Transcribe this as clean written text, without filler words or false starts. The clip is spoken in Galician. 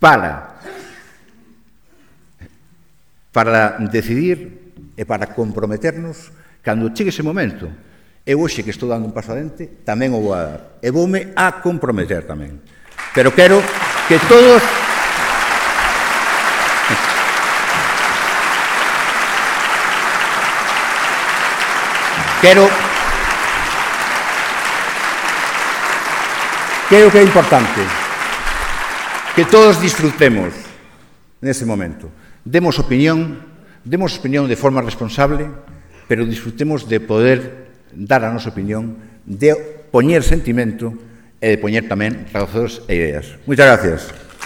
para decidir e para comprometernos cando chegue ese momento. Eu hoxe que estou dando un paso adiante tamén o vou a dar e voume a comprometer tamén, pero quero que todos creo que é importante que todos disfrutemos nese momento. Demos opinión de forma responsable, pero disfrutemos de poder dar a nosa opinión, de poñer sentimento e de poñer tamén razóns e ideas. Moitas gracias.